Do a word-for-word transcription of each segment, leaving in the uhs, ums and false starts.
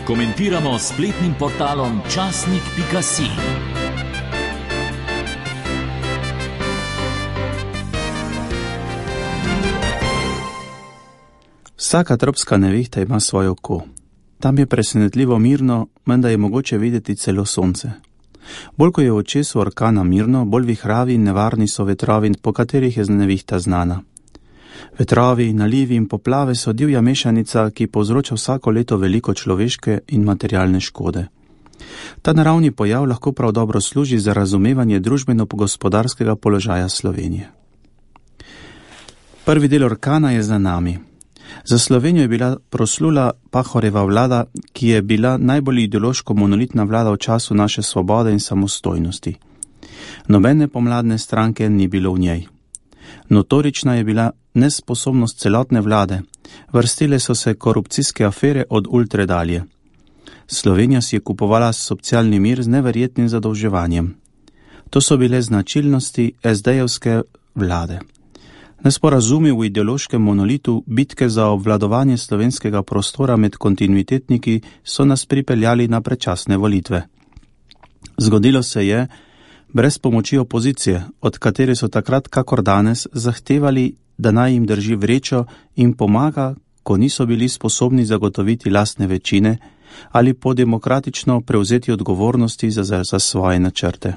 Komentiramo s spletnim portalom časnik pika si. Vsaka tropska nevihta ima svoje oko. Tam je presenetljivo mirno, menda je mogoče videti celo sonce. Bolj ko je v očesu orkana mirno, bolj vihravi in nevarni so vetrovi, po katerih je nevihta znana. Vetrovi, nalivi in poplave so divja mešanica, ki povzroča vsako leto veliko človeške in materialne škode. Ta naravni pojav lahko prav dobro služi za razumevanje družbeno-gospodarskega položaja Slovenije. Prvi del orkana je za nami. Za Slovenijo je bila proslula Pahorjeva vlada, ki je bila najbolj ideološko monolitna vlada v času naše svobode in samostojnosti. Nobene pomladne stranke ni bilo v njej. Notorična je bila nesposobnost celotne vlade, vrstile so se korupcijske afere od ultre dalje. Slovenija si je kupovala socialni mir z neverjetnim zadolževanjem. To so bile značilnosti es de-jevske vlade. Nesporazumi v ideološkem monolitu, bitke za obvladovanje slovenskega prostora med kontinuitetniki so nas pripeljali na predčasne volitve. Zgodilo se je, brez pomoči opozicije, od katere so takrat kakor danes zahtevali, da naj jim drži vrečo in pomaga, ko niso bili sposobni zagotoviti lastne večine ali po demokratično prevzeti odgovornosti za, za svoje načrte.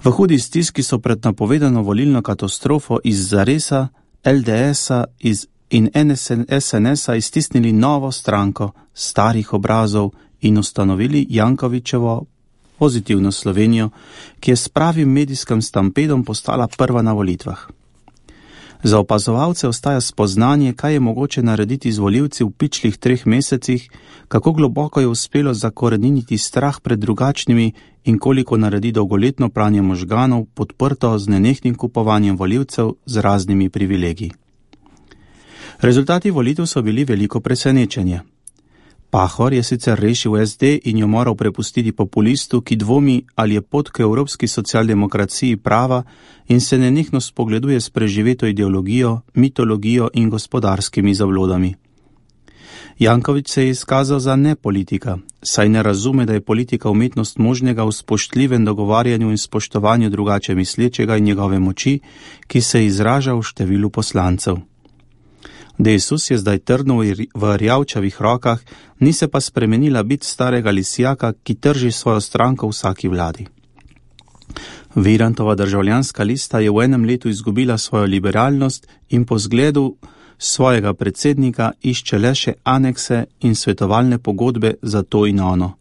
V hudi stiski so pred napovedano volilno katastrofo iz Zaresa, el de esa iz in es en esa iztisnili novo stranko starih obrazov in ustanovili Jankovićevo pozitivno Slovenijo, ki je s pravim medijskim stampedom postala prva na volitvah. Za opazovalce ostaja spoznanje, kaj je mogoče narediti z volivci v pičlih treh mesecih, kako globoko je uspelo zakoreniniti strah pred drugačnimi in koliko naredi dolgoletno pranje možganov, podprto z nenehnim kupovanjem volivcev z raznimi privilegiji. Rezultati volitev so bili veliko presenečenje. Pahor je sicer rešil es de in jo moral prepustiti populistu, ki dvomi, ali je pot k evropski socialdemokraciji prava in se nenehno spogleduje s preživeto ideologijo, mitologijo in gospodarskimi zablodami. Janković se je izkazal za nepolitika, saj ne razume, da je politika umetnost možnega v spoštljivem dogovarjanju in spoštovanju drugače mislečega in njegove moči, ki se izraža v številu poslancev. Desus je zdaj trdno v rjavčavih rokah, ni se pa spremenila bit starega lisjaka, ki trži svojo stranko v vsaki vladi. Virantova državljanska lista je v enem letu izgubila svojo liberalnost in po zgledu svojega predsednika išče le še anekse in svetovalne pogodbe za to in ono.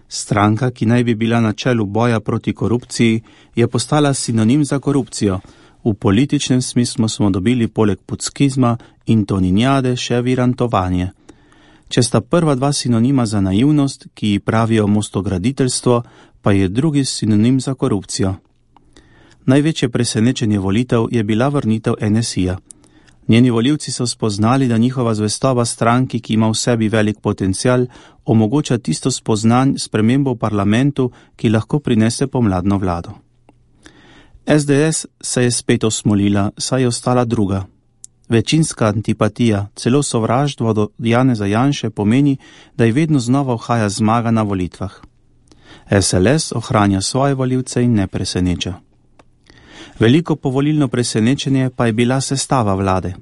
Stranka, ki naj bi bila na čelu boja proti korupciji, je postala sinonim za korupcijo. V političnem smislu smo dobili poleg puckizma in toninjade še virantovanje. Če sta prva dva sinonima za naivnost, ki ji pravijo mostograditeljstvo, pa je drugi sinonim za korupcijo. Največje presenečenje volitev je bila vrnitev en es i-ja. Njeni volivci so spoznali, da njihova zvestoba stranki, ki ima v sebi velik potencial, omogoča tisto spoznanj spremembo v parlamentu, ki lahko prinese pomladno vlado. es de es se je spet osmolila, saj je ostala druga. Večinska antipatija, celo sovraštvo do Janeza Janše pomeni, da je vedno znova uhaja zmaga na volitvah. es el es ohranja svoje volivce in ne preseneča. Veliko povolilno presenečenje pa je bila sestava vlade.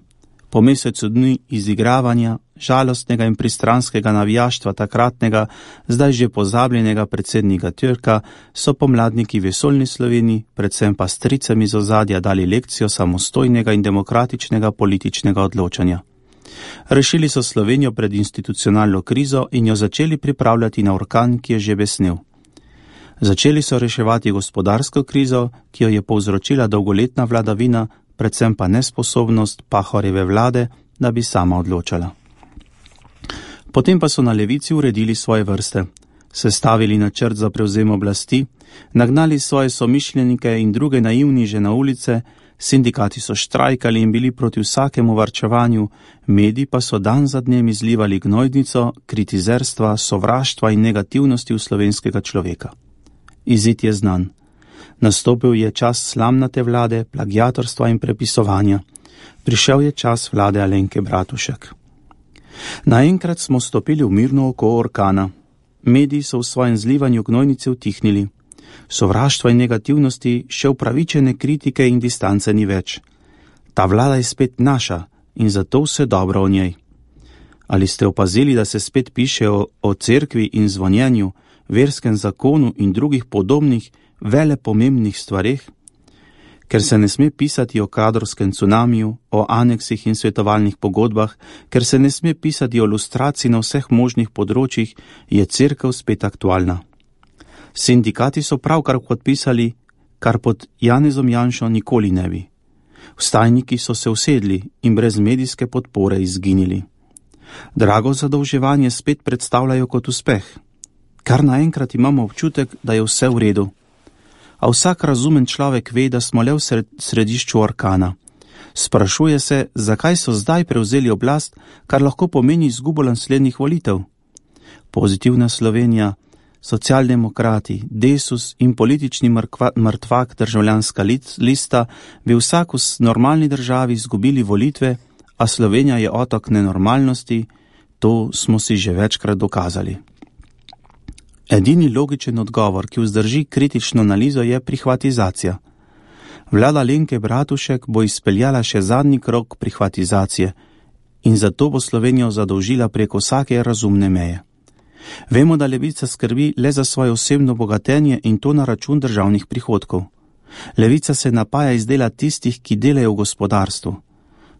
Po mesecu dni izigravanja, žalostnega in pristranskega navijaštva takratnega, zdaj že pozabljenega predsednika Türka, so pomladniki vesoljni Sloveniji, predvsem pa stricem iz ozadja dali lekcijo samostojnega in demokratičnega političnega odločanja. Rešili so Slovenijo pred institucionalno krizo in jo začeli pripravljati na orkan, ki je že besnel. Začeli so reševati gospodarsko krizo, ki jo je povzročila dolgoletna vladavina, predvsem pa nesposobnost Pahorjeve vlade, da bi sama odločala. Potem pa so na levici uredili svoje vrste, sestavili načrt za prevzem oblasti, nagnali svoje somišljenike in druge naivniže na ulice, sindikati so štrajkali in bili proti vsakemu varčevanju, mediji pa so dan za dnem izlivali gnojdnico, kritizerstva, sovraštva in negativnosti v slovenskega človeka. Izid je znan. Nastopil je čas slamnate vlade, plagiatorstva in prepisovanja. Prišel je čas vlade Alenke Bratušek. Naenkrat smo stopili v mirno oko orkana. Mediji so v svojem zlivanju gnojnice utihnili. Sovraštva in negativnosti, še upravičene kritike in distance ni več. Ta vlada je spet naša in zato vse dobro o njej. Ali ste opazili, da se spet piše o, o cerkvi in zvonjenju, verskem zakonu in drugih podobnih velepomembnih stvareh? Ker se ne sme pisati o kadrovskem cunamiju, o aneksih in svetovalnih pogodbah, ker se ne sme pisati o lustraciji na vseh možnih področjih, je cerkev spet aktualna. Sindikati so pravkar podpisali, kar pod Janezom Janšo nikoli ne bi. Vstajniki so se usedli in brez medijske podpore izginili. Drago zadolževanje spet predstavljajo kot uspeh. Kar naenkrat imamo občutek, da je vse v redu. A vsak razumen človek ve, da smo le v središču orkana. Sprašuje se, zakaj so zdaj prevzeli oblast, kar lahko pomeni izgubo naslednjih volitev. Pozitivna Slovenija, socialdemokrati, Desus in politični mrtvak državljanska lista bi vsak v normalni državi izgubili volitve, a Slovenija je otok nenormalnosti, to smo si že večkrat dokazali. Edini logičen odgovor, ki vzdrži kritično analizo, je prihvatizacija. Vlada Alenke Bratušek bo izpeljala še zadnji krog prihvatizacije in zato bo Slovenijo zadolžila preko vsake razumne meje. Vemo, da Levica skrbi le za svoje osebno bogatenje in to na račun državnih prihodkov. Levica se napaja iz dela tistih, ki delajo v gospodarstvu.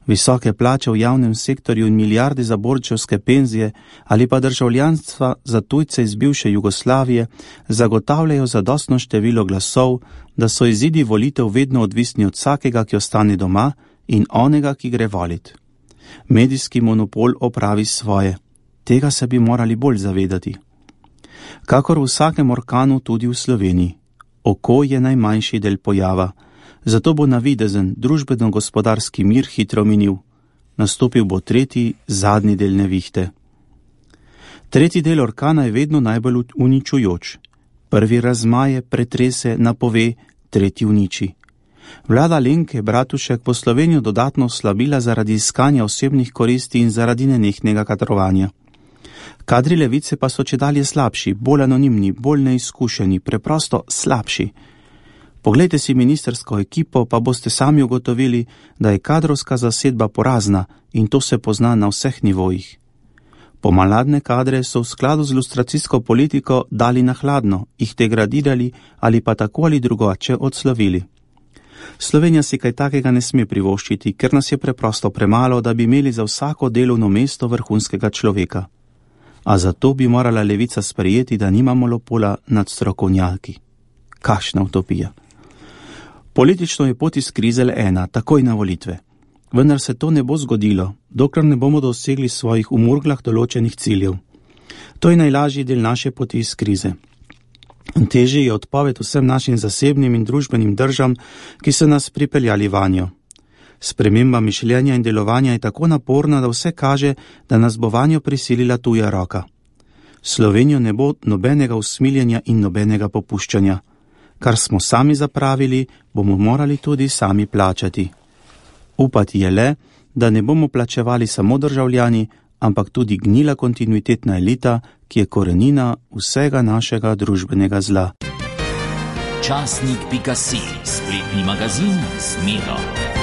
Visoke plače v javnem sektorju in milijarde za borčevske penzije ali pa državljanstva za tujce iz bivše Jugoslavije zagotavljajo zadostno število glasov, da so izidi volitev vedno odvisni od vsakega, ki ostane doma in onega, ki gre volit. Medijski monopol opravi svoje. Tega se bi morali bolj zavedati. Kakor v vsakem orkanu tudi v Sloveniji. Oko je najmanjši del pojava. Zato bo navidezen družbeno-gospodarski mir hitro minil. Nastopil bo tretji, zadnji del nevihte. Tretji del orkana je vedno najbolj uničujoč. Prvi razmaje, pretrese, napove, tretji uniči. Vlada Alenke Bratušek bo Slovenijo dodatno oslabila zaradi iskanja osebnih koristi in zaradi nenehnega kadrovanja. Kadri levice pa so čedalje slabši, bolj anonimni, bolj neizkušeni, preprosto slabši. Poglejte si ministersko ekipo, pa boste sami ugotovili, da je kadrovska zasedba porazna in to se pozna na vseh nivojih. Pomladne kadre so v skladu z lustracijsko politiko dali na hladno, jih degradirali ali pa tako ali drugače odslovili. Slovenija si kaj takega ne sme privoščiti, ker nas je preprosto premalo, da bi imeli za vsako delovno mesto vrhunskega človeka. A zato bi morala levica sprejeti, da nima monopola nad strokovnjaki. Kakšna utopija. Politično je pot iz krize le ena, takoj na volitve. Vendar se to ne bo zgodilo, dokler ne bomo dosegli svojih v murglah določenih ciljev. To je najlažji del naše poti iz krize. Težje je odpoved vsem našim zasebnim in družbenim državam, ki so nas pripeljali vanjo. Sprememba mišljenja in delovanja je tako naporna, da vse kaže, da nas bo vanjo prisilila tuja roka. Slovenijo ne bo nobenega usmiljenja in nobenega popuščanja. Kar smo sami zapravili, bomo morali tudi sami plačati. Upati je le, da ne bomo plačevali samo državljani, ampak tudi gnila kontinuitetna elita, ki je korenina vsega našega družbenega zla. Časnik pika si, spletni magazin z Miro.